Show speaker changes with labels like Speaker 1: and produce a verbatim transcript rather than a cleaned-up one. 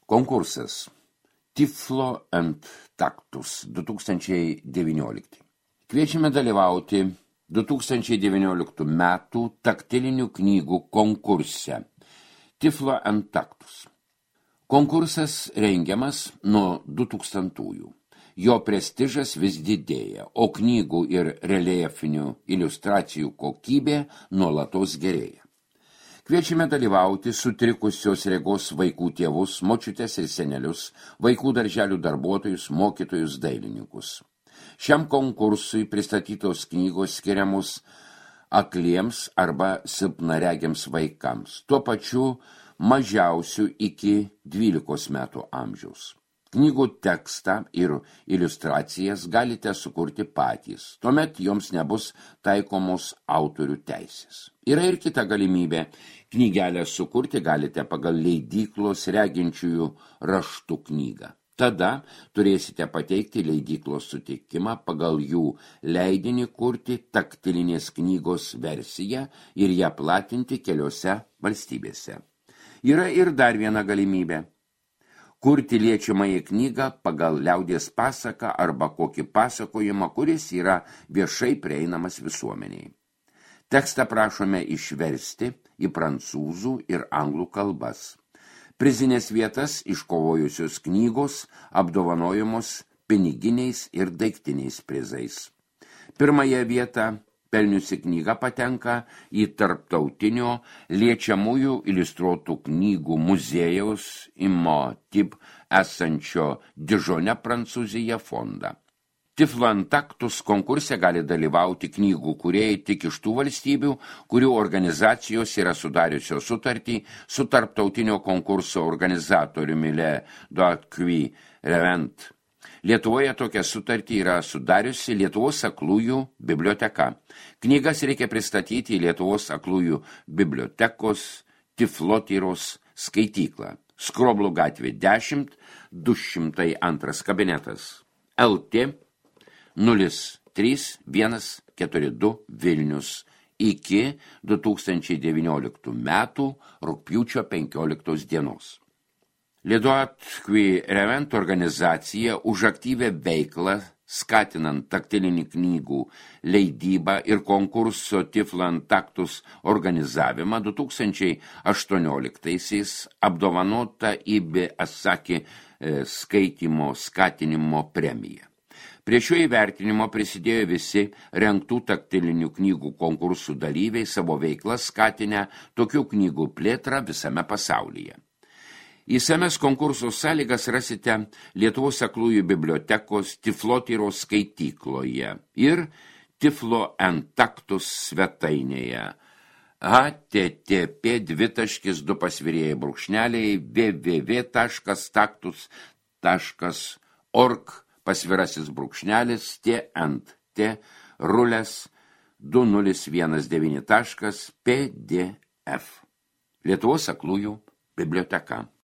Speaker 1: Konkursas Tiflo and Taktus du tūkstančiai devyniolikti. Kviečiame dalyvauti du tūkstančiai devynioliktų metų taktilinių knygų konkurse Tiflo and Taktus. Konkursas rengiamas nuo du tūkstantųjų. Jo prestižas vis didėja, o knygų ir reljefinių iliustracijų kokybė nuolatos gerėja. Kviečiame dalyvauti sutrikusios regos vaikų tėvus, močiutes ir senelius, vaikų darželių darbuotojus, mokytojus, dailininkus. Šiam konkursui pristatytos knygos skiriamos akliems arba silpnaregiams vaikams, tuo pačiu mažiausių iki dvylikos metų amžiaus. Knygų tekstą ir iliustracijas galite sukurti patys, tuomet joms nebus taikomos autorių teisės. Yra ir kita galimybė, knygelę sukurti galite pagal leidyklos reginčiųjų raštų knygą. Tada turėsite pateikti leidyklos sutikimą pagal jų leidinį kurti taktilinės knygos versiją ir ją platinti keliose valstybėse. Yra ir dar viena galimybė. Kurti liečiamąją knygą pagal liaudies pasaką arba kokį pasakojimą, kuris yra viešai prieinamas visuomeniai. Tekstą prašome išversti į prancūzų ir anglų kalbas. Prizinės vietas iškovojusios knygos apdovanojamos piniginiais ir daiktiniais prizais. Pirmąją vietą pelniusi knyga patenka į tarptautinio liečiamųjų iliustruotų knygų muziejaus Imotip esančio Dižone, Prancūzija fondą. Tiflo and Taktus konkurse gali dalyvauti knygų kūrėjai tik iš tų valstybių, kurių organizacijos yra sudariusios sutartį su tarptautinio konkurso organizatoriumi Le Doacqui Revent. Lietuvoje tokią sutartį yra sudariusi Lietuvos aklųjų biblioteka. Knygas reikia pristatyti į Lietuvos aklųjų bibliotekos Tiflotyros skaityklą. Skroblų gatvė dešimt, du šimtai antras kabinetas. L T nulis trys vienas keturi du Vilnius iki du tūkstančiai devynioliktų metų rugpjūčio penkioliktos dienos. Le Doacqui Revent organizacija už aktyvę veiklą, skatinant taktilinį knygų leidybą ir konkurso Tiflo and Taktus organizavimą du tūkstančiai aštuonioliktaisiais apdovanota I B Asaki skaitymo skatinimo premija. Prie šio įvertinimo prisidėjo visi rengtų taktilinių knygų konkursų dalyviai, savo veiklą skatinę tokių knygų plėtrą visame pasaulyje. Įsames konkurso sąlygas rasite Lietuvos aklųjų bibliotekos Tiflotyros skaitykloje ir Tiflo and Taktus svetainėje h t t p dvi taškis du pasvirėjai brūkšneliai w w w taškas taktus taškas org pasvirasis brūkšnelis t ant t rulės du nulis vienas devyni taškas p d f. Lietuvos aklųjų biblioteka.